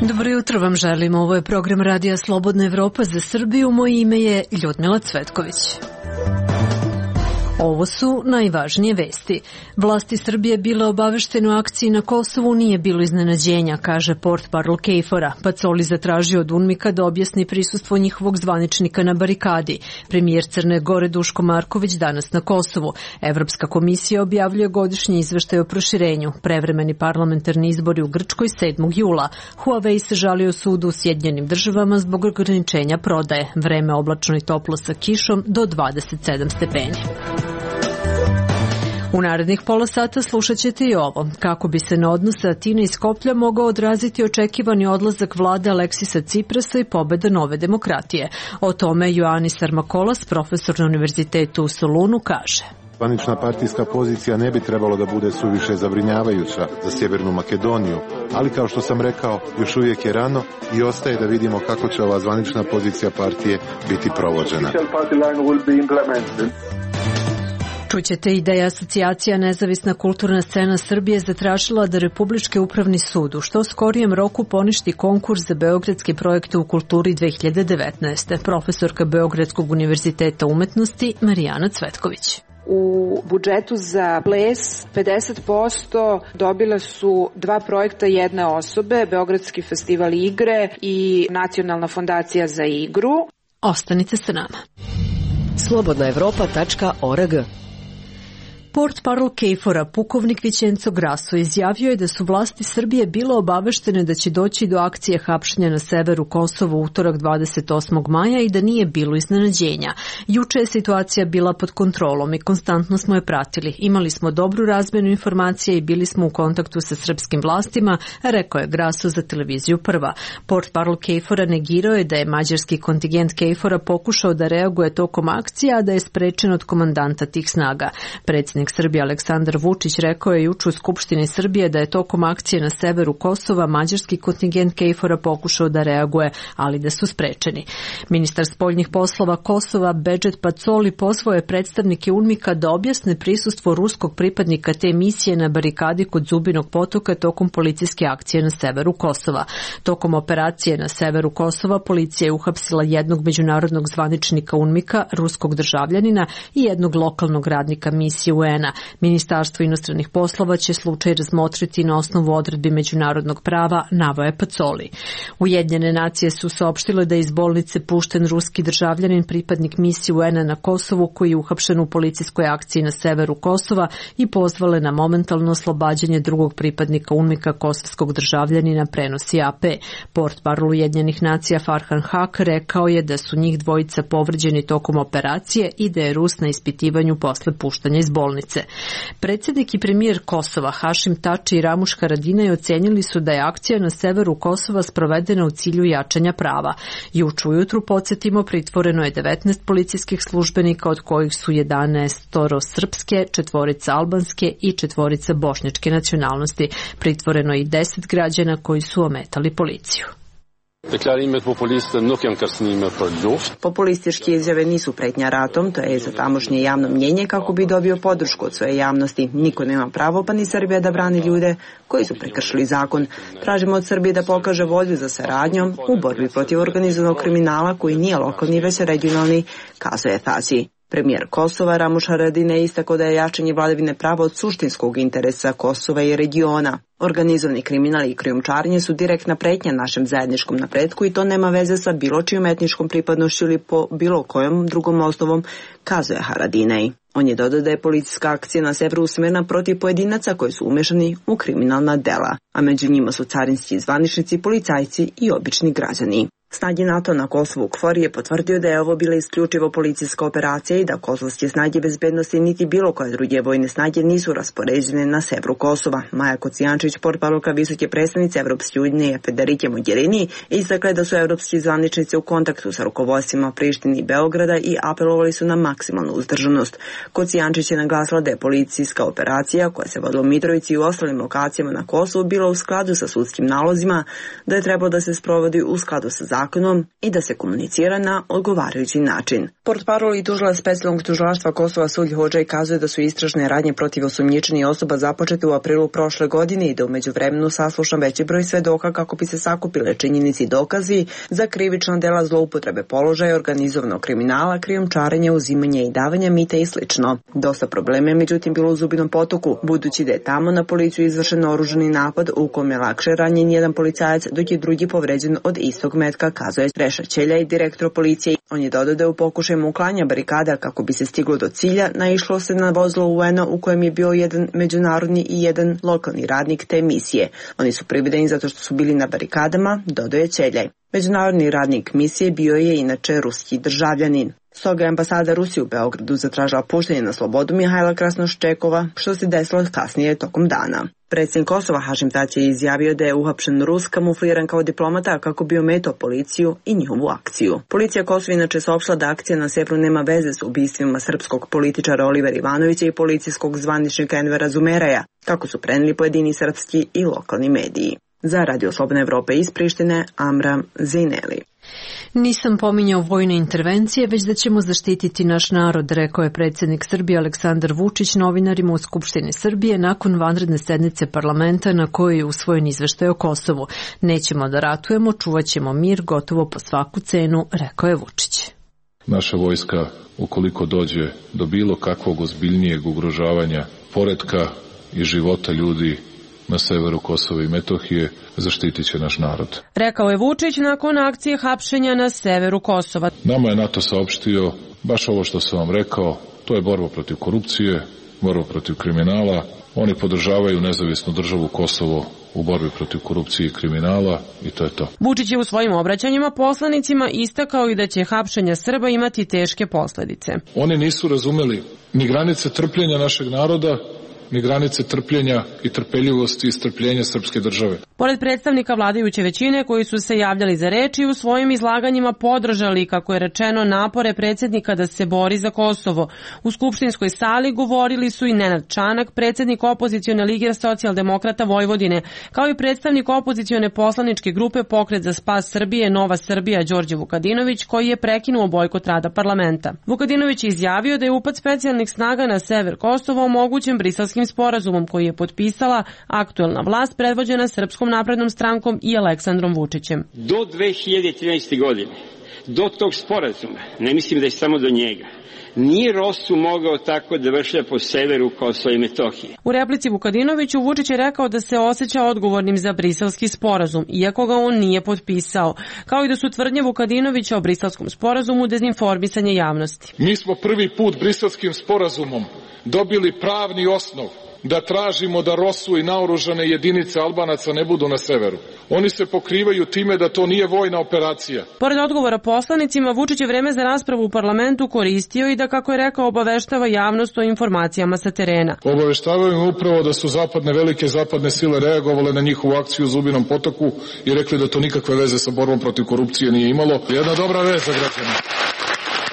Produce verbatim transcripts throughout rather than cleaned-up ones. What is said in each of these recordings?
Dobro jutro vam želim. Ovo je program Radija Slobodna Evropa za Srbiju. Moje ime je Ljudmila Cvetković. Ovo su najvažnije vesti. Vlasti Srbije bile obaveštene o akciji na Kosovu, nije bilo iznenađenja, kaže portparol KFOR-a. Pacoli zatražio od UNMIK-a da objasni prisustvo njihovog zvaničnika na barikadi. Premijer Crne Gore Duško Marković danas na Kosovu. Evropska komisija objavljuje godišnji izveštaj o proširenju. Prevremeni parlamentarni izbori u Grčkoj sedmog jula. Huawei se žalio sudu u Sjedinjenim državama zbog ograničenja prodaje. Vreme oblačno i toplo sa kišom do dvadeset sedam stepeni. U narednih pola sata slušat ćete i ovo. Kako bi se na odnose Atine i Skoplja mogao odraziti očekivani odlazak vlade Aleksisa Ciprasa i pobeda Nove demokratije. O tome Ioannis Armakolas, profesor na Univerzitetu u Solunu, kaže. Zvanična partijska pozicija ne bi trebalo da bude suviše zabrinjavajuća za Sjevernu Makedoniju, ali kao što sam rekao, još uvijek je rano i ostaje da vidimo kako će ova zvanična pozicija partije biti provođena. Čućete i da je Asocijacija Nezavisna kulturna scena Srbije zatražila da Republički upravni sud u što skorijem roku poništi konkurs za beogradske projekte u kulturi dve hiljade devetnaeste. Profesorka Beogradskog univerziteta umetnosti Marijana Cvetković. U budžetu za ples pedeset posto dobile su dva projekta jedne osobe, Beogradski festival igre i Nacionalna fondacija za igru. Ostanite sa nama. slobodna evropa tačka org. Portparol KFOR-a, pukovnik Vićenco Grasso, izjavio je da su vlasti Srbije bile obaveštene da će doći do akcije hapšenja na severu Kosova u utorak dvadeset osmog maja i da nije bilo iznenađenja. Juče je situacija bila pod kontrolom i konstantno smo je pratili. Imali smo dobru razmjenu informacija i bili smo u kontaktu sa srpskim vlastima, rekao je Grasso za televiziju Prva. Portparol KFOR-a negirao je da je mađarski kontingent KFOR-a pokušao da reaguje tokom akcije, a da je sprečen od komandanta tih snaga. Predsjednik Srbije Aleksandar Vučić rekao je juče u Skupštini Srbije da je tokom akcije na severu Kosova mađarski kontingent KFOR-a pokušao da reaguje, ali da su sprečeni. Ministar spoljnih poslova Kosova Bedžet Pacoli pozvao je predstavnike UNMIK-a da objasne prisustvo ruskog pripadnika te misije na barikadi kod Zubinog potoka tokom policijske akcije na severu Kosova. Tokom operacije na severu Kosova policija je uhapsila jednog međunarodnog zvaničnika UNMIK-a, ruskog državljanina i jednog lokalnog radnika misije U N. Ministarstvo inostranih poslova će slučaj razmotriti na osnovu odredbi međunarodnog prava, naveo je Pacoli. Ujedinjene nacije su saopštile da je iz bolnice pušten ruski državljanin, pripadnik misije U N na Kosovu, koji je uhapšen u policijskoj akciji na severu Kosova, i pozvale na momentalno oslobađanje drugog pripadnika UNMIK-a, kosovskog državljanina, prenosi A P. Portparol Ujedinjenih nacija Farhan Haq rekao je da su njih dvojica povređeni tokom operacije i da je Rus na ispitivanju posle puštanja iz bolnice. Predsjednik i premijer Kosova Hašim Tači i Ramuš Haradinaj ocenili su da je akcija na severu Kosova sprovedena u cilju jačanja prava. Juče ujutru, podsjetimo, pritvoreno je devetnaest policijskih službenika, od kojih su jedanaest srpske, četvorica albanske i četvorica bošnjačke nacionalnosti. Pritvoreno je i deset građana koji su ometali policiju. Populističke izjave nisu pretnja ratom, to je za tamošnje javno mnjenje kako bi dobio podršku od svoje javnosti. Niko nema pravo, pa ni Srbija, da brani ljude koji su prekršili zakon. Tražimo od Srbije da pokaže volju za saradnjom u borbi protiv organizovanog kriminala koji nije lokalni, već regionalni, kazuje Tasi. Premijer Kosova Ramuš Haradinaj istakao da je jačanje vladavine prava od suštinskog interesa Kosova i regiona. Organizovani kriminal i krijumčarenje su direktna pretnja našem zajedničkom napretku i to nema veze sa bilo čijom etničkom pripadnošću ili po bilo kojom drugom osnovom, kazuje Haradinaj. On je dodao da je policijska akcija na severu usmerena protiv pojedinaca koji su umešani u kriminalna dela, a među njima su carinski zvaničnici, policajci i obični građani. Snage NATO na Kosovu KFOR je potvrdio da je ovo bila isključivo policijska operacija i da kosovske snage bezbednosti niti bilo koje druge vojne snage nisu raspoređene na severu Kosova. Maja Kocijančić, portparolka visoke predstavnice Evropske unije Federike Mogherini, istakla da su evropski zvaničnici u kontaktu sa rukovodstvima Prištine i Beograda i apelovali su na maksimalnu uzdržanost. Kocijančić je naglasila da je policijska operacija koja se vodila u Mitrovici i u ostalim lokacijama na Kosovu bila u skladu sa sudskim nalozima, da je trebalo da se sprovodi u skladu sa zakonom zakonom i da se komunicira na odgovarajući način. Portparol i tužilac specijalnog tužilaštva Kosova Sulj Hodžaj kazuje da su istražne radnje protiv osumnjičenih osoba započete u aprilu prošle godine i da u međuvremenu saslušan veći broj svedoka kako bi se sakupile činjenici i dokazi za krivična dela zloupotrebe položaja, organizovanog kriminala, krijumčarenja, uzimanja i davanja mita i slično. Dosta problema je međutim bilo u Zubinom Potoku, budući da je tamo na policiju izvršen oružani napad u kome je lakše ranjen jedan policajac, dok je drugi povređen od istog metka, kazuje Reša Ćelja, direktor policije. On je dodao da je u pokušaju uklanja barikada kako bi se stiglo do cilja, naišlo se na vozilo U N-a u kojem je bio jedan međunarodni i jedan lokalni radnik te misije. Oni su privedeni zato što su bili na barikadama, dodao je Ćeljaj. Međunarodni radnik misije bio je inače ruski državljanin. Stoga je ambasada Rusije u Beogradu zatražila puštanje na slobodu Mihajla Krasnoščekova, što se desilo kasnije tokom dana. Predsjednik Kosova Hašim Tači je izjavio da je uhapšen Rus kamufliran kao diplomata kako bi ometao policiju i njihovu akciju. Policija Kosova inače saopštila da akcija na severu nema veze s ubistvima srpskog političara Olivera Ivanovića i policijskog zvaničnika Envera Zumeraja, kako su preneli pojedini srpski i lokalni mediji. Za Radio Slobodna Evropa iz Prištine, Amram Zineli. Nisam pominjao vojne intervencije, već da ćemo zaštititi naš narod, rekao je predsjednik Srbije Aleksandar Vučić novinarima u Skupštini Srbije nakon vanredne sednice parlamenta na kojoj je usvojen izveštaj o Kosovu. Nećemo da ratujemo, čuvat ćemo mir gotovo po svaku cenu, rekao je Vučić. Naša vojska, ukoliko dođe do bilo kakvog ozbiljnijeg ugrožavanja poretka i života ljudi na severu Kosova i Metohije, zaštitit će naš narod. Rekao je Vučić nakon akcije hapšenja na severu Kosova. Nama je NATO saopštio baš ovo što sam vam rekao, to je borba protiv korupcije, borba protiv kriminala. Oni podržavaju nezavisnu državu Kosovo u borbi protiv korupcije i kriminala i to je to. Vučić je u svojim obraćanjima poslanicima istakao i da će hapšenja Srba imati teške posledice. Oni nisu razumeli ni granice trpljenja našeg naroda, ni granice trpljenja i trpeljivosti i strpljenja srpske države. Pored predstavnika vladajuće većine koji su se javljali za reč i u svojim izlaganjima podržali, kako je rečeno, napore predsjednika da se bori za Kosovo. U skupštinskoj sali govorili su i Nenad Čanak, predsjednik opozicione lige socijaldemokrata Vojvodine, kao i predstavnik opozicione poslaničke grupe Pokret za spas Srbije Nova Srbija Đorđe Vukadinović, koji je prekinuo bojkot rada parlamenta. Vukadinović je izjavio da je upad specijalnih snaga na sever Kosova omogućen Briselskim sporazumom koji je potpisala aktuelna vlast predvođena Srpskom naprednom strankom i Aleksandrom Vučićem. Do dve hiljade trinaeste. godine, do tog sporazuma, ne mislim da je samo do njega, nije Rosu mogao tako da vršlja po severu Kosova i Metohije. U replici Vukadinoviću Vučić je rekao da se osjeća odgovornim za Briselski sporazum, iako ga on nije potpisao, kao i da su tvrdnje Vukadinovića o Briselskom sporazumu dezinformisanje javnosti. Mi smo prvi put Briselskim sporazumom dobili pravni osnov da tražimo da Rosu i naoružane jedinice Albanaca ne budu na severu. Oni se pokrivaju time da to nije vojna operacija. Pored odgovora poslanicima, Vučić je vreme za raspravu u parlamentu koristio i da, kako je rekao, obaveštava javnost o informacijama sa terena. Obaveštavaju upravo da su zapadne, velike zapadne sile reagovale na njihovu akciju u Zubinom Potoku i rekli da to nikakve veze sa borbom protiv korupcije nije imalo. Jedna dobra vez za građane.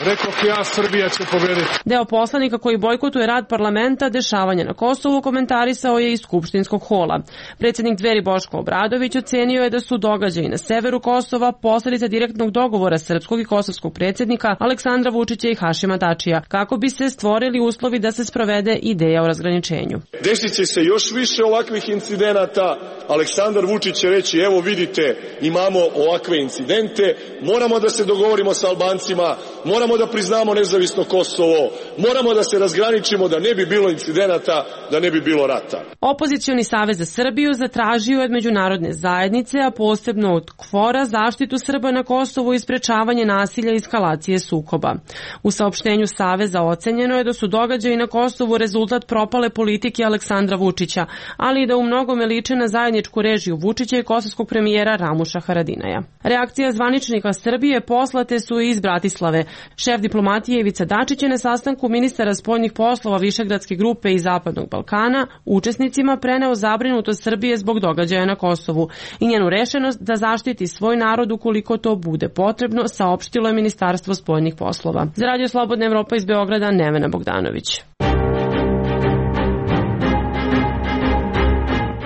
Rekao ja, Srbija će pobediti. Deo poslanika koji bojkotuje rad parlamenta, dešavanja na Kosovu, komentarisao je iz skupštinskog hola. Predsjednik Dveri Boško Obradović ocenio je da su događaji na severu Kosova posledica direktnog dogovora srpskog i kosovskog predsjednika Aleksandra Vučića i Hašima Tačija, kako bi se stvorili uslovi da se sprovede ideja o razgraničenju. Desit će se još više ovakvih incidenata. Aleksandar Vučić će reći, evo vidite, imamo ovakve incidente, moramo da se dogovorimo sa Albancima, moramo da priznamo nezavisno Kosovo, moramo da se razgraničimo da ne bi bilo incidenata, da ne bi bilo rata. Opozicioni savez za Srbiju zatražio od međunarodne zajednice, a posebno od K F O R-a, zaštitu Srba na Kosovu i sprečavanje nasilja i eskalacije sukoba. U saopštenju saveza ocenjeno je da su događaji na Kosovu rezultat propale politike Aleksandra Vučića, ali i da u mnogome liče na zajedničku režiju Vučića i kosovskog premijera Ramuša Haradinaja. Reakcija zvaničnika Srbije poslate su iz Bratislave. Šef diplomatije Ivica Dačić je na sastanku ministara spoljnih poslova Višegradske grupe i Zapadnog Balkana učesnicima preneo zabrinutost Srbije zbog događaja na Kosovu i njenu rešenost da zaštiti svoj narod ukoliko to bude potrebno, saopštilo je Ministarstvo spoljnih poslova. Za Radio Slobodna Evropa iz Beograda, Nevena Bogdanović.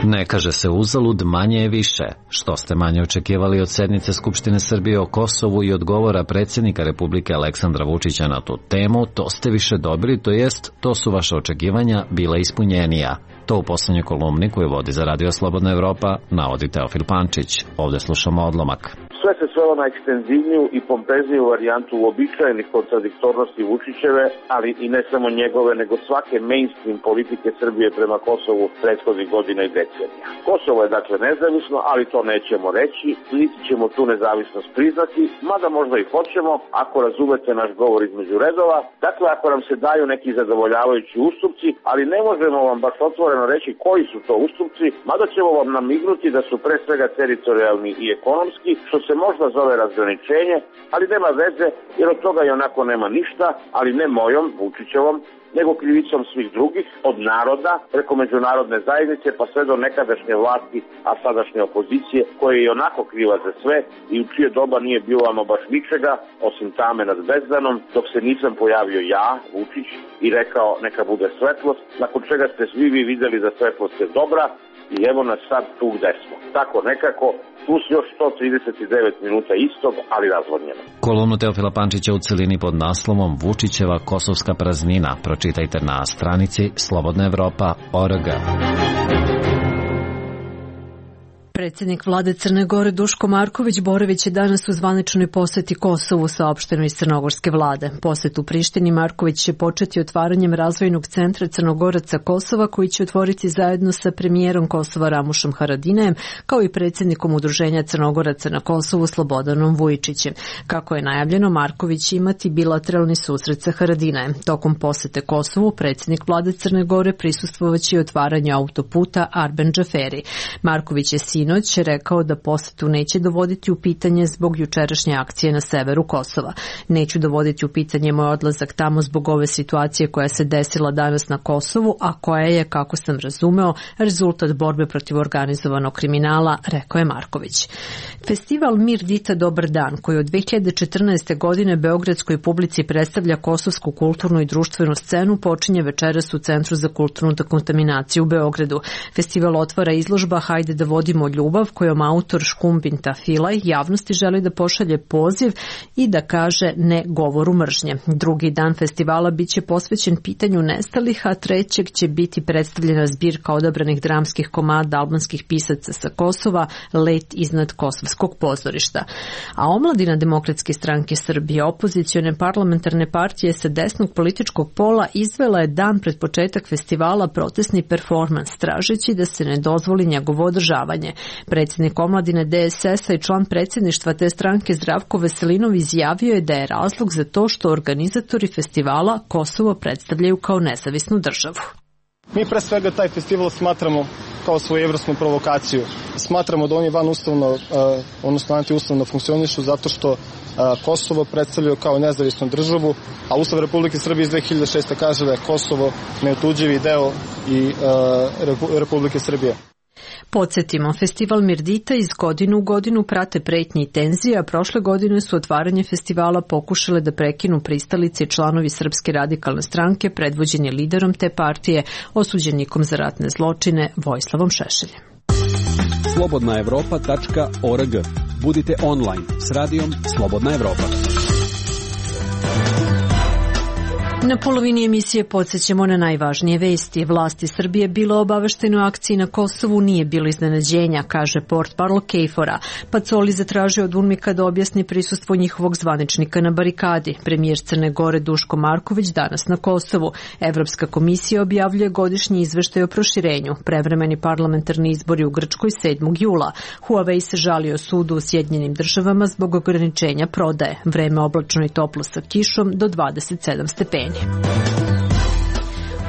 Ne kaže se uzalud, manje je više. Što ste manje očekivali od sednice Skupštine Srbije o Kosovu i odgovora predsjednika Republike Aleksandra Vučića na tu temu, to ste više dobili, to jest, to su vaše očekivanja bila ispunjenija. To u poslednjoj kolumni koju vodi za Radio Slobodna Evropa navodi Teofil Pančić. Ovde slušamo odlomak. Sve se svelo na ekstenzivniju i pompezniju varijantu uobičajenih kontradiktornosti Vučićeve, ali i ne samo njegove, nego svake mainstream politike Srbije prema Kosovu prethodnih godina i decenija. Kosovo je dakle nezavisno, ali to nećemo reći, niti ćemo tu nezavisnost priznati, mada možda i hoćemo, ako razumete naš govor između redova, dakle ako nam se daju neki zadovoljavajući ustupci, ali ne možemo vam baš otvoreno reći koji su to ustupci, mada ćemo vam namignuti da su pre svega teritorijalni i ekonomski, što se možda zove razgraničenje, ali nema veze, jer od toga i onako nema ništa, ali ne mojom, Vučićevom, nego krivicom svih drugih, od naroda, preko međunarodne zajednice, pa sve do nekadašnje vlasti, a sadašnje opozicije, koja je i onako kriva za sve i u čije doba nije bilo ama baš ničega, osim tame nad bezdanom, dok se nisam pojavio ja, Vučić, i rekao neka bude svetlost, nakon čega ste svi vi videli da svetlost je dobra, i evo nas sad tu gde smo. Tako nekako, plus još sto trideset devet minuta istog, ali razvodnjeno. Kolumnu Teofila Pančića u celini pod naslovom Vučićeva kosovska praznina pročitajte na stranici slobodna evropa tačka org. Predsjednik vlade Crne Gore Duško Marković boravit će danas u zvaničnoj poseti Kosovu, saopšteno iz crnogorske vlade. Posjet u Prištini Marković će početi otvaranjem razvojnog centra Crnogoraca Kosova, koji će otvoriti zajedno sa premijerom Kosova Ramušom Haradinajem, kao i predsjednikom Udruženja Crnogoraca na Kosovu Slobodanom Vujičićem. Kako je najavljeno, Marković će imati bilateralni susret sa Haradinajem. Tokom posete Kosovu predsjednik vlade Crne Gore prisustvovaće i otvaranju autoputa Arben Džaferi. Marković je sinoć rekao da posetu neće dovoditi u pitanje zbog jučerašnje akcije na severu Kosova. Neću dovoditi u pitanje moj odlazak tamo zbog ove situacije koja se desila danas na Kosovu, a koja je, kako sam razumeo, rezultat borbe protiv organizovanog kriminala, rekao je Marković. Festival Mir Dita Dobar dan, koji od dve hiljade četrnaeste. godine beogradskoj publici predstavlja kosovsku kulturnu i društvenu scenu, počinje večeras u Centru za kulturnu dekontaminaciju u Beogradu. Festival otvara izložba Hajde da vodimo ljubav, kojom autor Škumbin Tafilaj javnosti želi da pošalje poziv i da kaže ne govoru mržnje. Drugi dan festivala biće posvećen pitanju nestalih, a trećeg će biti predstavljena zbirka odabranih dramskih komada albanskih pisaca sa Kosova, Let iznad kosovskog pozorišta. A omladina Demokratske stranke Srbije, opozicione parlamentarne partije sa desnog političkog pola, izvela je dan pred početak festivala protestni performans, tražeći da se ne dozvoli njegovo održavanje. Predsjednik omladine D S S-a i član predsjedništva te stranke Zdravko Veselinov izjavio je da je razlog za to što organizatori festivala Kosovo predstavljaju kao nezavisnu državu. Mi pre svega taj festival smatramo kao svojevrsnu provokaciju. Smatramo da oni van ustavno, odnosno antiustavno funkcionišu zato što Kosovo predstavljaju kao nezavisnu državu, a Ustav Republike Srbije iz dve hiljade šeste. kaže da je Kosovo neotuđivi deo i Republike Srbije. Podsjetimo, festival Mirdita iz godine u godinu prate pretnje i tenzije, a prošle godine su otvaranje festivala pokušale da prekinu pristalice i članovi Srpske radikalne stranke, predvođeni liderom te partije, osuđenikom za ratne zločine Vojislavom Šešeljem. slobodna evropa tačka org. Budite online s radijom Slobodna Evropa. Na polovini emisije podsjećamo na najvažnije vesti. Vlasti Srbije bilo obavešteno o akciji na Kosovu, nije bilo iznenađenja, kaže portparol Kejfora. Pacoli zatražio od UNMIK-a da objasni prisustvo njihovog zvaničnika na barikadi. Premijer Crne Gore Duško Marković danas na Kosovu. Evropska komisija objavljuje godišnji izveštaj o proširenju. Prevremeni parlamentarni izbori u Grčkoj sedmog jula. Huawei se žalio sudu u Sjedinjenim državama zbog ograničenja prodaje. Vreme oblačno i toplo sa kišom do dvadeset sedam stepeni.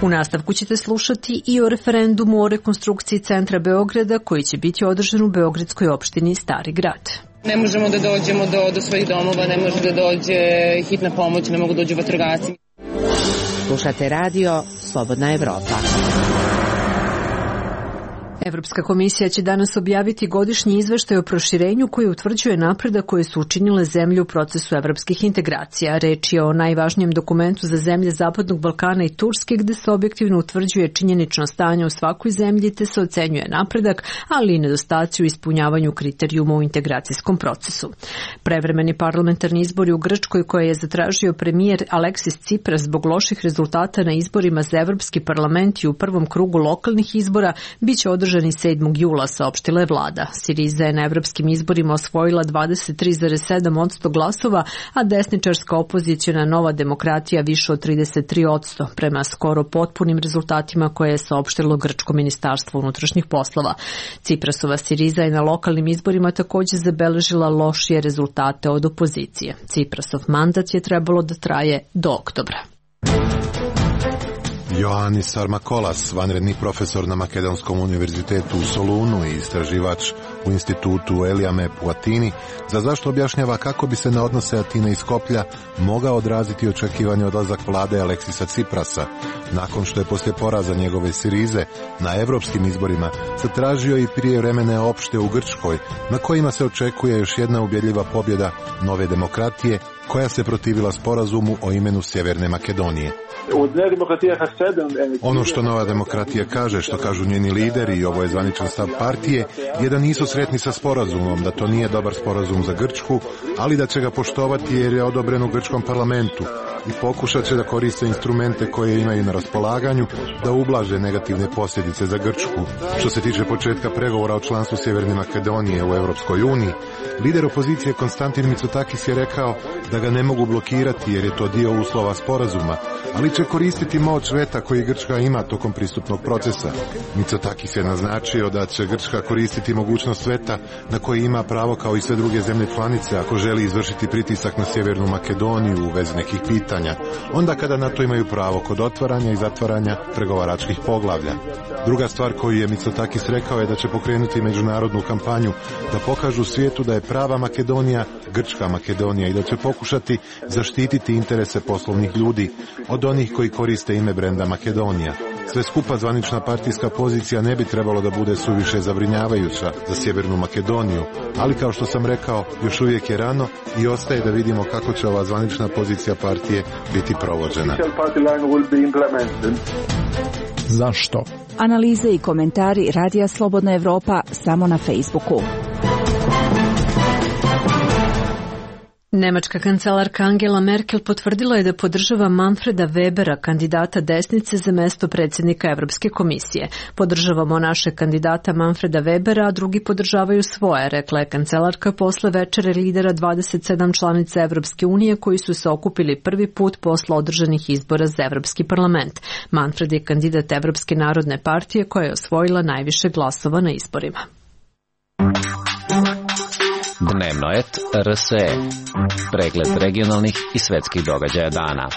U nastavku ćete slušati i o referendumu o rekonstrukciji centra Beograda koji će biti održan u beogradskoj opštini Stari Grad. Ne možemo da dođemo do, do svojih domova, ne može da dođe hitna pomoć, ne mogu da dođu vatrogasci. Slušate radio Slobodna Evropa. Evropska komisija će danas objaviti godišnji izveštaj o proširenju koji utvrđuje napredak koje su učinile zemlje u procesu evropskih integracija. Reč je o najvažnijem dokumentu za zemlje Zapadnog Balkana i Turske, gde se objektivno utvrđuje činjenično stanje u svakoj zemlji te se ocenjuje napredak, ali i nedostaci u ispunjavanju kriterijuma u integracijskom procesu. Prevremeni parlamentarni izbori u Grčkoj koje je zatražio premijer Aleksis Cipras zbog loših rezultata na izborima za Evropski parlament i u prvom krugu lokalnih izbora biće održani sedmog jula, saopštila je vlada. Siriza je na evropskim izborima osvojila dvadeset tri zarez sedam posto glasova, a desničarska opozicijona Nova demokratija više od trideset tri posto, prema skoro potpunim rezultatima koje je saopštilo Grčko ministarstvo unutrašnjih poslova. Ciprasova Siriza je na lokalnim izborima takođe zabeležila lošije rezultate od opozicije. Ciprasov mandat je trebalo da traje do oktobra. Ioannis Sarmakolas, vanredni profesor na Makedonskom univerzitetu u Solunu i istraživač u institutu Eliamep u Atini, za zašto objašnjava kako bi se na odnose Atine i Skoplja mogao odraziti očekivani odlazak vlade Aleksisa Ciprasa, nakon što je poslije poraza njegove Sirize na evropskim izborima zatražio i prijevremene opšte u Grčkoj, na kojima se očekuje još jedna ubjedljiva pobjeda Nove demokratije, koja se protivila sporazumu o imenu Sjeverne Makedonije. Ono što Nova demokratija kaže, što kažu njeni lideri, i ovo je zvaničan stav partije, je da nisu sretni sa sporazumom, da to nije dobar sporazum za Grčku, ali da će ga poštovati jer je odobren u grčkom parlamentu i pokušat će da koriste instrumente koje imaju na raspolaganju da ublaže negativne posljedice za Grčku. Što se tiče početka pregovora o članstvu Sjeverne Makedonije u Evropskoj uniji, lider opozicije Konstantin Mitsotakis je rekao da ga ne mogu blokirati jer je to dio uslova sporazuma, ali će koristiti moć veta koji Grčka ima tokom pristupnog procesa. Mitsotakis je naznačio da će Grčka koristiti mogućnost veta na koji ima pravo kao i sve druge zemlje članice ako želi izvršiti pritisak na Sjevernu Makedoniju u vezi nekih pitanja, onda kada na to imaju pravo kod otvaranja i zatvaranja pregovaračkih poglavlja. Druga stvar koju je Mitsotakis rekao je da će pokrenuti međunarodnu kampanju da pokažu svijetu da je prava Makedonija Grčka Makedonija i da će pokušati zaštititi interese poslovnih ljudi od onih koji koriste ime brenda Makedonija. Sve skupa zvanična partijska pozicija ne bi trebalo da bude suviše zabrinjavajuća za Sjevernu Makedoniju, ali kao što sam rekao, još uvijek je rano i ostaje da vidimo kako će ova zvanična pozicija partije biti provođena. Zašto? Analize i komentari Radija Slobodna Evropa samo na Facebooku. Nemačka kancelarka Angela Merkel potvrdila je da podržava Manfreda Webera, kandidata desnice za mesto predsjednika Evropske komisije. Podržavamo našeg kandidata Manfreda Webera, a drugi podržavaju svoje, rekla je kancelarka posle večere lidera dvadeset sedam članica Evropske unije koji su se okupili prvi put posle održanih izbora za Evropski parlament. Manfred je kandidat Evropske narodne partije koja je osvojila najviše glasova na izborima. Dnevnoet R S E. Pregled regionalnih i svetskih događaja dana.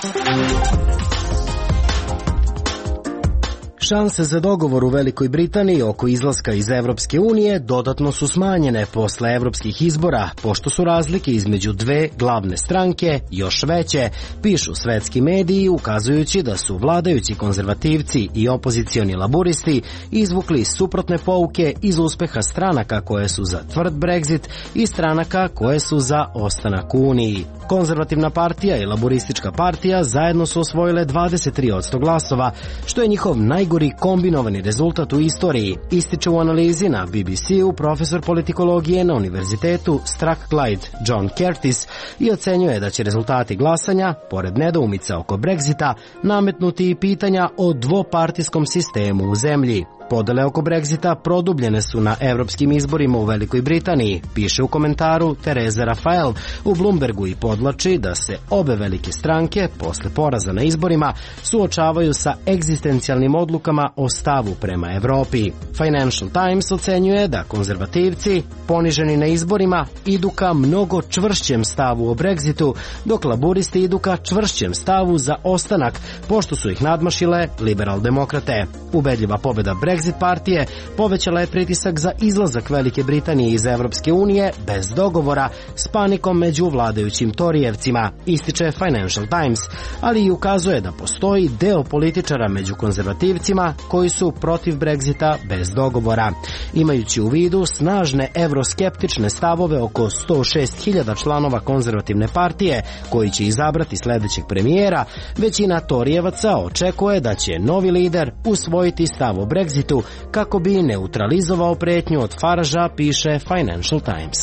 Šanse za dogovor u Velikoj Britaniji oko izlaska iz Evropske unije dodatno su smanjene posle evropskih izbora, pošto su razlike između dve glavne stranke još veće, pišu svetski mediji, ukazujući da su vladajući konzervativci i opozicioni laburisti izvukli suprotne pouke iz uspeha stranaka koje su za tvrd Brexit i stranaka koje su za ostanak u Uniji. Konzervativna partija i laburistička partija zajedno su osvojile dvadeset tri posto glasova, što je njihov najgori kombinovani rezultat u istoriji, ističe u analizi na B B C-u profesor politikologije na univerzitetu Strathclyde John Curtis i ocenjuje da će rezultati glasanja, pored nedoumica oko Brexita, nametnuti i pitanja o dvopartijskom sistemu u zemlji. Podele oko Brexita produbljene su na evropskim izborima u Velikoj Britaniji, piše u komentaru Tereza Rafael u Bloombergu i podlači da se obe velike stranke posle poraza na izborima suočavaju sa egzistencijalnim odlukama o stavu prema Evropi. Financial Times ocenjuje da konzervativci, poniženi na izborima, idu ka mnogo čvršćem stavu o Brexitu, dok laburisti idu ka čvršćem stavu za ostanak, pošto su ih nadmašile liberal demokrate. Ubedljiva pobjeda Brexita Brexit partije povećala je pritisak za izlazak Velike Britanije iz Evropske unije bez dogovora s panikom među vladajućim Torijevcima, ističe Financial Times, ali i ukazuje da postoji deo političara među konzervativcima koji su protiv Brexita bez dogovora. Imajući u vidu snažne evroskeptične stavove oko sto šest hiljada članova konzervativne partije koji će izabrati sledećeg premijera, većina Torijevaca očekuje da će novi lider usvojiti stav o Brexitu kako bi neutralizovao pretnju od Faragea, piše Financial Times.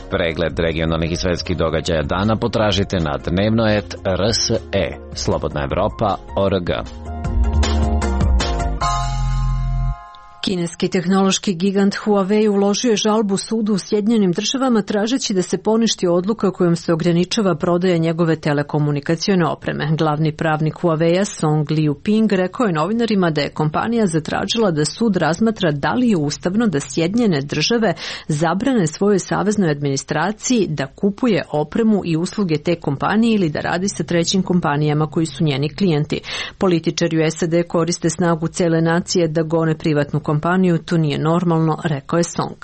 Pregled regionalnih i svetskih događaja dana potražite na dnevno et r s e, slobodna evropa tačka org. Kineski tehnološki gigant Huawei uložio je žalbu sudu u Sjedinjenim državama tražeći da se poništi odluka kojom se ograničava prodaja njegove telekomunikacione opreme. Glavni pravnik Huawei-a Song Liuping rekao je novinarima da je kompanija zatražila da sud razmatra da li je ustavno da Sjedinjene države zabrane svojoj saveznoj administraciji da kupuje opremu i usluge te kompanije ili da radi sa trećim kompanijama koji su njeni klijenti. Političari u S A D koriste snagu cele nacije da gone privatnu kompaniju, to nije normalno, rekao je Song.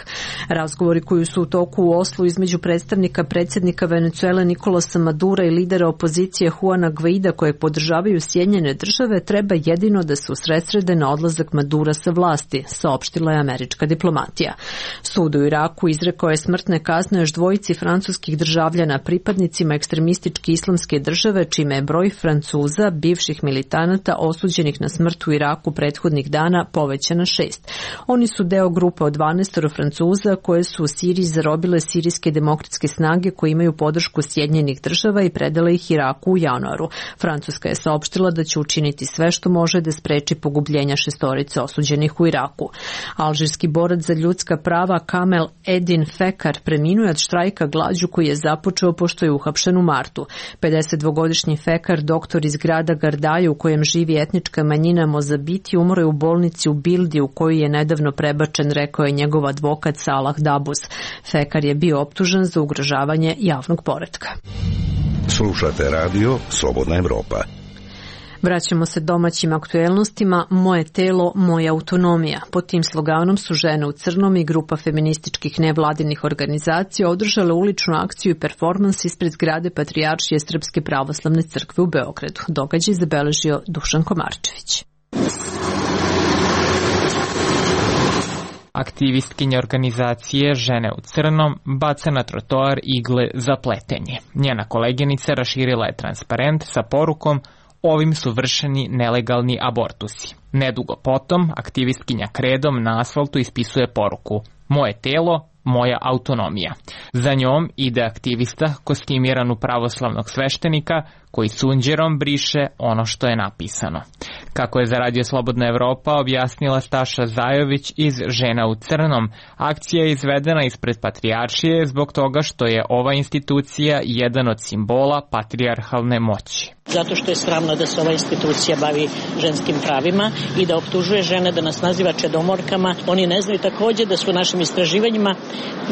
Razgovori koji su u toku u Oslu između predstavnika predsjednika Venezuele Nikolasa Madura i lidera opozicije Juana Guaida kojeg podržavaju Sjedinjene države treba jedino da se usredsrede na odlazak Madura sa vlasti, saopštila je američka diplomatija. Sud u Iraku izrekao je smrtne kazne još dvojici francuskih državljana pripadnicima ekstremističke islamske države, čime je broj Francuza, bivših militanata osuđenih na smrt u Iraku prethodnih dana povećan na šest. Oni su deo grupe od dvanaest Francuza koje su u Siriji zarobile sirijske demokratske snage koje imaju podršku Sjedinjenih država i predale ih Iraku u januaru. Francuska je saopštila da će učiniti sve što može da spreči pogubljenja šestorice osuđenih u Iraku. Alžirski borac za ljudska prava Kamel Edin Fekar preminuje od štrajka glađu koji je započeo pošto je uhapšen u martu. pedesetdvogodišnji Fekar, doktor iz grada Gardaje u kojem živi etnička manjina Mozabiti, umro je u bolnici u Bildi u koju je nedavno prebačen, rekao je njegov advokat Salah Dabus. Fekar je bio optužen za ugrožavanje javnog poretka. Slušate radio Slobodna Evropa. Vraćamo se domaćim aktuelnostima. Moje telo, moja autonomija. Pod tim sloganom su Žene u crnom i grupa feminističkih nevladinih organizacija održale uličnu akciju i performans ispred zgrade Patrijaršije Srpske pravoslavne crkve u Beogradu. Događaj zabeležio Dušan Komarčević. Aktivistkinja organizacije Žene u crnom baca na trotoar igle za pletenje. Njena koleginica raširila je transparent sa porukom "Ovim su vršeni nelegalni abortusi". Nedugo potom, aktivistkinja kredom na asfaltu ispisuje poruku "Moje telo, moja autonomija". Za njom ide aktivista kostimiran u pravoslavnog sveštenika koji sunđerom briše ono što je napisano. Kako je za Radio Slobodna Evropa objasnila Staša Zajović iz Žena u crnom, akcija je izvedena ispred Patrijaršije zbog toga što je ova institucija jedan od simbola patrijarhalne moći. Zato što je sramno da se ova institucija bavi ženskim pravima i da optužuje žene, da nas naziva čedomorkama. Oni ne znaju takođe da su u našim istraživanjima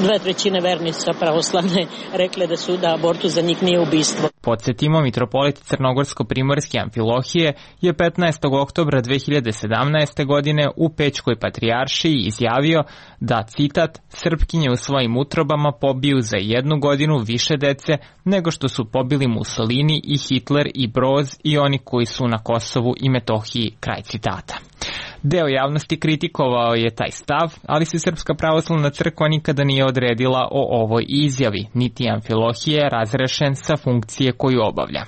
dve trećine vernica pravoslavne rekle da su da abortus za njih nije ubistvo. Podsjetimo, mitropolit Crnogorsko-primorske Amfilohije je petnaestog oktobra dve hiljade sedamnaeste. godine u Pećkoj patrijaršiji izjavio da, citat, "Srpkinje u svojim utrobama pobiju za jednu godinu više dece nego što su pobili Mussolini i Hitler i Broz i oni koji su na Kosovu i Metohiji", kraj citata. Deo javnosti kritikovao je taj stav, ali se Srpska pravoslavna crkva nikada nije odredila o ovoj izjavi, niti Amfilohije je razrešen sa funkcije koju obavlja.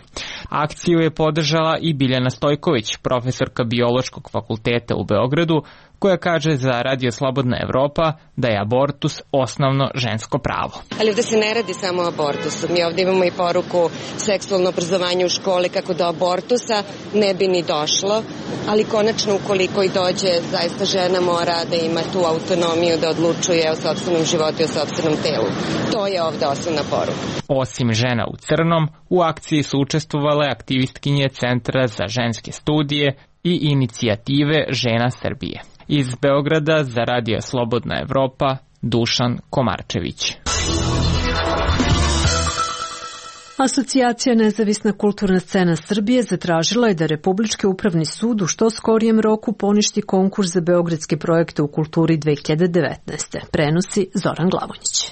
Akciju je podržala i Biljana Stojković, profesorka Biološkog fakulteta u Beogradu, koja kaže za Radio Slobodna Evropa da je abortus osnovno žensko pravo. Ali ovde se ne radi samo o abortusu. Mi ovde imamo i poruku seksualno obrazovanje u školi kako do abortusa ne bi ni došlo, ali konačno ukoliko i dođe, zaista žena mora da ima tu autonomiju da odlučuje o sopstvenom životu i o sopstvenom telu. To je ovde osnovna poruka. Osim Žena u crnom, u akciji su učestvovale aktivistkinje Centra za ženske studije i inicijative Žena Srbije. Iz Beograda za Radio Slobodna Evropa, Dušan Komarčević. Asocijacija Nezavisna kulturna scena Srbije zatražila je da Republički upravni sud u što skorijem roku poništi konkurs za beogradske projekte u kulturi dve hiljade devetnaeste. Prenosi Zoran Glavonjić.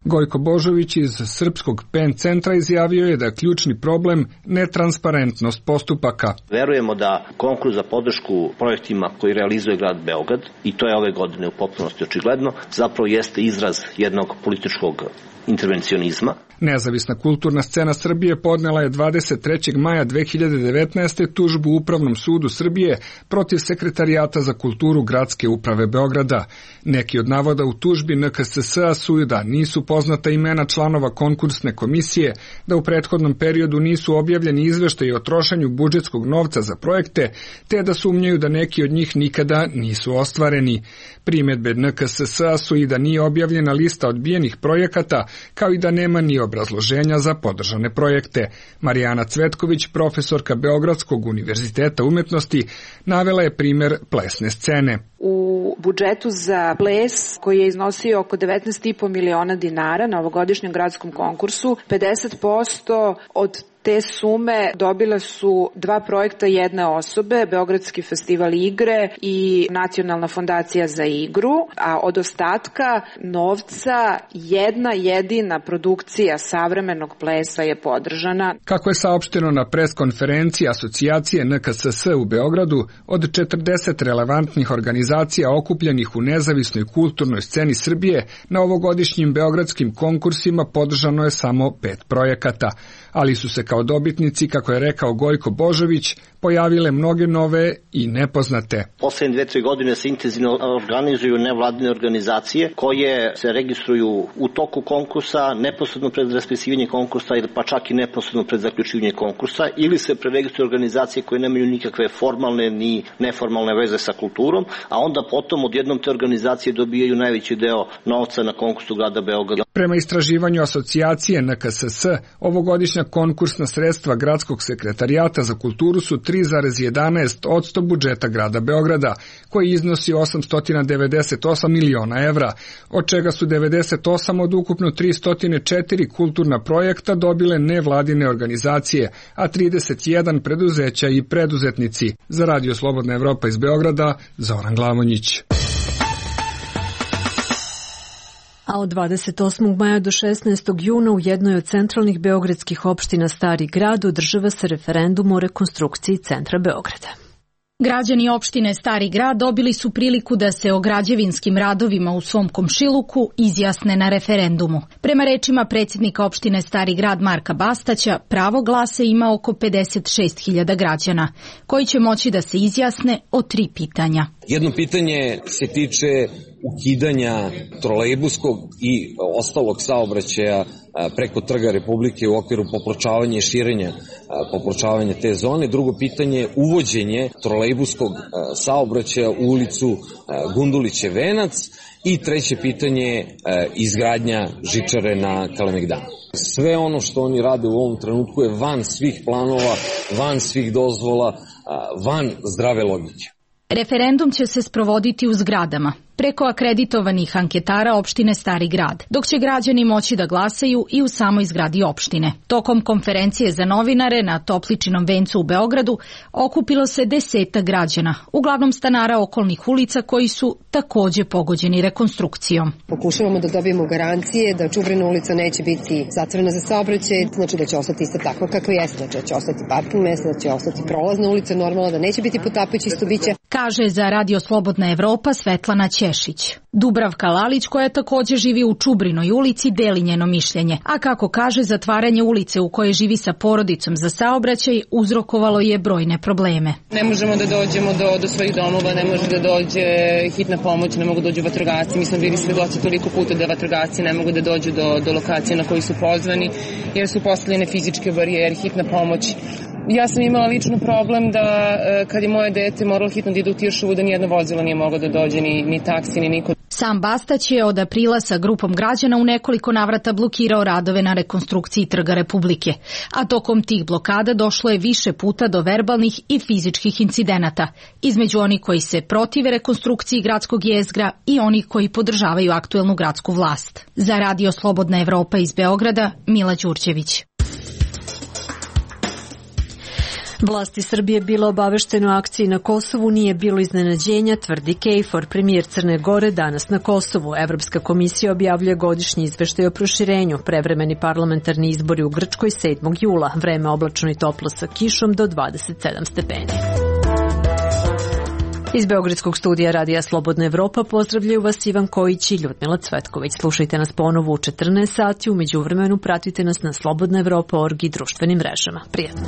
Gojko Božović iz Srpskog Pen centra izjavio je da je ključni problem netransparentnost postupaka. Verujemo da konkurs za podršku projektima koji realizuje grad Beograd, i to je ove godine u potpunosti očigledno, zapravo jeste izraz jednog političkog intervencionizma. Nezavisna kulturna scena Srbije podnela je dvadeset trećeg maja dve hiljade devetnaeste. tužbu Upravnom sudu Srbije protiv Sekretarijata za kulturu Gradske uprave Beograda. Neki od navoda u tužbi N K S S-a su da nisu poznata imena članova konkursne komisije, da u prethodnom periodu nisu objavljeni izveštaji o trošenju budžetskog novca za projekte, te da sumnjaju da neki od njih nikada nisu ostvareni. Primedbe N K S S-a su i da nije objavljena lista odbijenih projekata, kao i da nema ni obrazloženja za podržane projekte. Marijana Cvetković, profesorka Beogradskog univerziteta umetnosti, navela je primer plesne scene. U budžetu za ples, koji je iznosio oko devetnaest i po miliona dinara na ovogodišnjem gradskom konkursu, pedeset posto od te sume dobile su dva projekta jedne osobe, Beogradski festival igre i Nacionalna fondacija za igru, a od ostatka novca jedna jedina produkcija savremenog plesa je podržana. Kako je saopšteno na preskonferenciji Asocijacije N K S S u Beogradu, od četrdeset relevantnih organizacija okupljenih u nezavisnoj kulturnoj sceni Srbije, na ovogodišnjim beogradskim konkursima podržano je samo pet projekata, ali su se kao dobitnici, kako je rekao Gojko Božović, pojavile mnoge nove i nepoznate. Poslednje dve, tri godine se intenzivno organizuju nevladine organizacije koje se registruju u toku konkursa, neposredno pred raspisivanje konkursa, pa čak i neposredno pred zaključivanje konkursa, ili se preregistruju organizacije koje nemaju nikakve formalne ni neformalne veze sa kulturom, a onda potom odjednom te organizacije dobijaju najveći deo novca na konkursu grada Beograda. Prema istraživanju Asocijacije N K S S, ovogodišnja konkursna sredstva Gradskog sekretarijata za kulturu su tri zarez jedanaest posto budžeta grada Beograda, koji iznosi osamsto devedeset osam miliona evra, od čega su devedeset osam od ukupno tristo četiri kulturna projekta dobile nevladine organizacije, a trideset jedan preduzeća i preduzetnici. Za Radio Slobodna Evropa iz Beograda, Zoran Glavonjić. A od dvadeset osmog maja do šesnaestog juna u jednoj od centralnih beogradskih opština Stari grad održava se referendum o rekonstrukciji centra Beograda. Građani opštine Stari grad dobili su priliku da se o građevinskim radovima u svom komšiluku izjasne na referendumu. Prema rečima predsjednika opštine Stari grad Marka Bastaća, pravo glasa ima oko pedeset šest hiljada građana, koji će moći da se izjasne o tri pitanja. Jedno pitanje se tiče ukidanja trolejbuskog i ostalog saobraćaja preko Trga Republike u okviru popločavanja i širenja popločavanja te zone. Drugo pitanje je uvođenje trolejbuskog saobraćaja u ulicu Gundulićev venac. I treće pitanje je izgradnja žičare na Kalemegdanu. Sve ono što oni rade u ovom trenutku je van svih planova, van svih dozvola, van zdrave logike. Referendum će se sprovoditi u zgradama, preko akreditovanih anketara opštine Stari grad, dok će građani moći da glasaju i u samoj zgradi opštine. Tokom konferencije za novinare na Topličinom vencu u Beogradu okupilo se deseta građana, uglavnom stanara okolnih ulica koji su takođe pogođeni rekonstrukcijom. Pokušavamo da dobijemo garancije da Čubrina ulica neće biti zatvorena za saobraćaj, znači da će ostati isto tako kako jeste, znači da će ostati parking mesta, da će ostati prolazna ulica, normalno da neće biti potapajući stubića. Kaže za Radio Slobodna Evropa Svetlana Ćešić. Dubravka Lalić, koja takođe živi u Čubrinoj ulici, deli njeno mišljenje, a kako kaže, zatvaranje ulice u kojoj živi sa porodicom za saobraćaj uzrokovalo je brojne probleme. Ne možemo da dođemo do, do svojih domova, ne može da dođe hitna pomoć, ne mogu da dođu vatrogasci. Mi smo bili svedoci toliko puta da vatrogasci ne mogu da dođu do, do lokacije na koji su pozvani, jer su postavljene fizičke barijere, hitna pomoć. Ja sam imala lično problem da kad je moje dete moralo hitno da ide u Tiršovu, da nijedno vozilo nije moglo da dođe, ni, ni taksi, ni niko. Sam Bastać je od aprila sa grupom građana u nekoliko navrata blokirao radove na rekonstrukciji Trga Republike, a tokom tih blokada došlo je više puta do verbalnih i fizičkih incidenata, između onih koji se protive rekonstrukciji gradskog jezgra i onih koji podržavaju aktuelnu gradsku vlast. Za Radio Slobodna Evropa iz Beograda, Mila Đurđević. Vlasti Srbije bilo obavešteno o akciji na Kosovu, nije bilo iznenađenja, tvrdi Kejfor, premijer Crne Gore, danas na Kosovu. Evropska komisija objavljuje godišnji izveštaj o proširenju. Prevremeni parlamentarni izbori u Grčkoj sedmog jula. Vreme oblačno i toplo sa kišom do dvadeset sedam stepeni. Iz Beogradskog studija Radija Slobodna Evropa pozdravljaju vas Ivan Kojić i Ljudmila Cvetković. Slušajte nas ponovo u četrnaest sati, u međuvremenu pratite nas na slobodna evropa tačka org i društvenim mrežama. Prijetno!